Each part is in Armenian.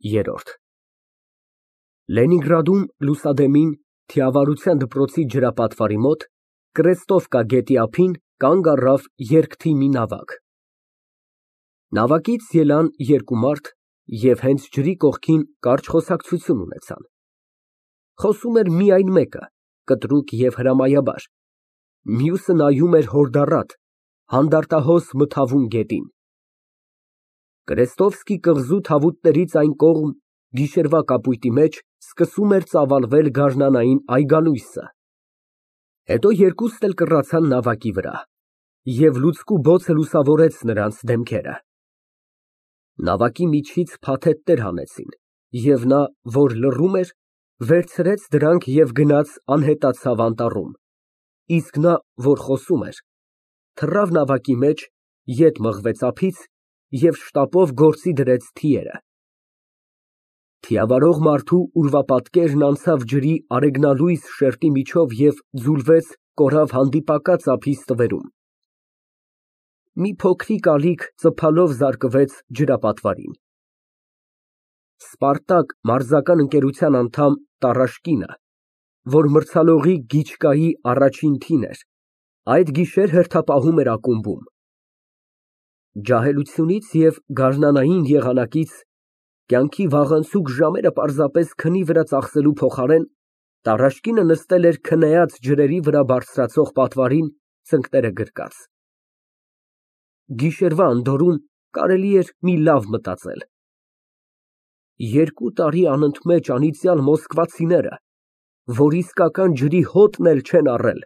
ԵՐՐՈՐԴ Լենինգրադում լուսադեմին, Թիավարության դպրոցի ջրապատվարի մոտ, Կրեստովկա գետի ափին կանգ առավ երկթի մի նավակ։ Նավակից ելան երկու մարդ և հենց ջրի կողքին կարճ խոսակցություն ունեցան։ Խոսում էր միայն մեկը, կտրուկ և հրամայաբար, մյուսը նայում էր հորդառատ, հանդարտահոս մթավուն գետին։ Կրեստովսկի կղզու թավուտներից այն կողմ, գիշերվա կապույտի մեջ, սկսում էր ծավալվել գարնանային այգալույսը։ Հետո երկուսն էլ կռացան նավակի վրա, և լուցկու բոցը լուսավորեց նրանց դեմքերը։ Նավակի միջից փաթեթներ հանեցին, և նա, որ լռում էր, վերցրեց դրանք և գնաց անհետացավ անտառում, իսկ նա, որ խոսում էր, թռավ նավակի մեջ, ետ մղվեց ափից և շտապով գործի դրեց թիերը։ Թիավարող մարդու ուրվապատկերն անցավ ջրի արեգնալույս շերտի միջով և ձուլվեց կորավ հանդիպակաց ափի ստվերում։ Մի փոքրիկ ալիք ծփալով զարկվեց ջրապատվարին։ «Սպարտակ» մարզական ընկերության անդամ Տարաշկինը, որ մրցալողի Գիչկայի առաջին թիմն էր, այդ գիշեր հերթապահում էր ակումբում։ Ջահելությունից և գարնանային եղանակից, կյանքի վաղանցուկ ժամերը պարզապես քնի վրա ծախսելու փոխարեն, Տարաշկինը նստել էր քնեած ջրերի վրա բարձրացող պատվարին, ծնկները գրկած։ Գիշերվա անդորրում կարելի էր մի լավ մտածել. երկու տարի անընդմեջ անիծյալ մոսկվացիները, որ իսկական ջրի հոտն էլ չեն առել,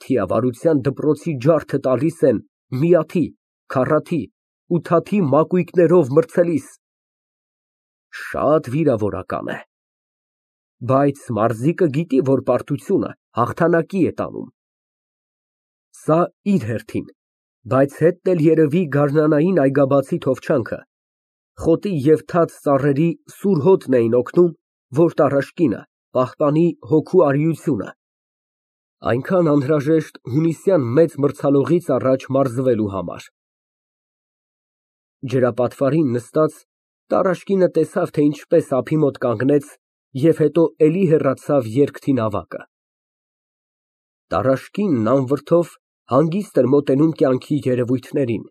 Թիավարության դպրոցի ջարդը տալիս են միաթի, քառաթի, ութաթի մակույկներով մրցելիս։ Շատ վիրավորական է։ Բայց մարզիկը գիտի, որ պարտությունը հաղթանակի է տանում։ Սա իր հերթին, բայց հետն էլ երևի գարնանային այգաբացի թովչանքը, խոտի և թաց ծառերի սուր հոտն էին օգնում, որ Տարաշկինը պահպանի հոգու արիությունը, այնքան անհրաժեշտ հունիսյան մեծ մրցալողից առաջ մարզվելու համար։ Ջրապատվարին նստած, Տարաշկինը տեսավ, թե ինչպես ափի մոտ կանգնեց և հետո էլի հեռացավ երկթի նավակը։ Տարաշկինն անվրդով հանգիստ էր մոտենում կյանքի երևույթներին։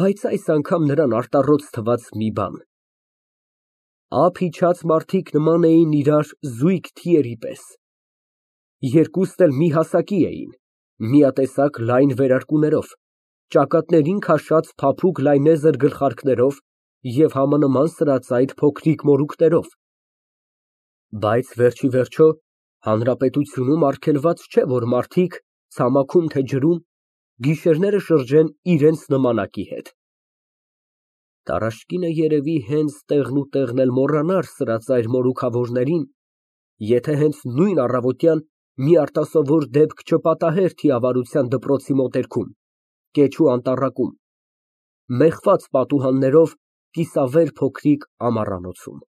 Բայց այս անգամ նրան արտառոց թվաց մի բան. ափ իջած մարդիկ նման էին իրար զույգ թիերի պես, երկուսն էլ մի հասակի էին, միատեսակ լայն վերարկուներով, ճակատներին քաշած փափուկ լայնեզր գլխարկներով և համանման սրածայր փոքրիկ մորուքներով։ Բայց վերջիվերջո հանրապետությունում արգելված չէ, որ մարդիկ, ցամաքում թե ջրում, գիշերները շրջեն իրենց նմանակի հետ։ Տարաշկինը երևի հենց տեղնուտեղն էլ մոռանար սրածայր մորուքավորներին, եթե հենց նույն առավոտյան մի արտասովոր դեպք չպատահեր Թիավարության դպրոցի մոտերքում, Կեչու անտառակում, մեխված պատուհաններով կիսավեր փոքրիկ ամառանոցում։